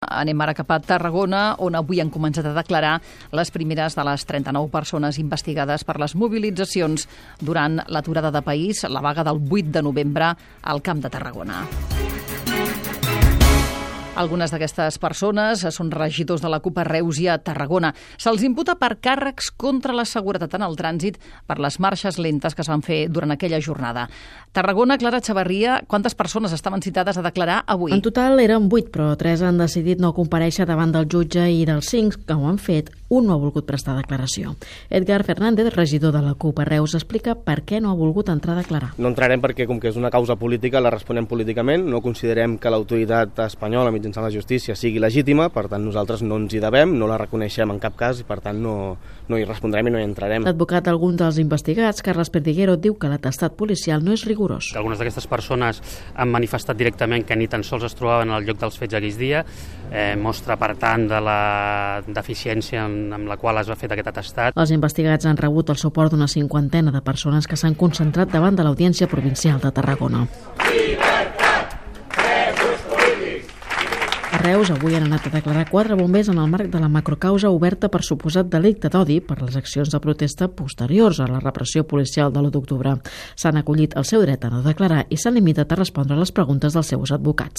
Anem ara cap a Tarragona, on avui han començat a declarar les primeres de les 39 persones investigades per les mobilitzacions durant l'aturada de país, la vaga del 8 de novembre al Camp de Tarragona. Algunes d'aquestes persones són regidors de la CUP a Reus i a Tarragona. Se'ls imputa per càrrecs contra la seguretat en el trànsit per les marxes lentes que es van fer durant aquella jornada. Tarragona, Clara Chavarria, quantes persones estaven citades a declarar avui? En total eren 8, però 3 han decidit no comparèixer davant del jutge i dels 5 que ho han fet, un no ha volgut prestar declaració. Edgar Fernández, regidor de la CUP a Reus, explica per què no ha volgut entrar a declarar. No entrarem perquè, com que és una causa política, la responem políticament. No considerem que l'autoritat espanyola mitjançant la justícia sigui legítima, per tant nosaltres no ens hi devem, no la reconeixem en cap cas i per tant no hi respondrem i no hi entrarem. L'advocat d'algun dels investigats, Carles Perdiguero, diu que l'atestat policial no és rigorós. Algunes d'aquestes persones han manifestat directament que ni tan sols es trobaven al lloc dels fets aquells dies, mostra per tant de la deficiència amb la qual es va fer aquest atestat. Els investigats han rebut el suport d'una 50ena de persones que s'han concentrat davant de l'Audiència Provincial de Tarragona. A Reus avui han anat a declarar 4 bombers en el marc de la macrocausa oberta per suposat delicte d'odi per les accions de protesta posteriors a la repressió policial de l'1 d'octubre. S'han acollit el seu dret a no declarar i s'han limitat a respondre a les preguntes dels seus advocats.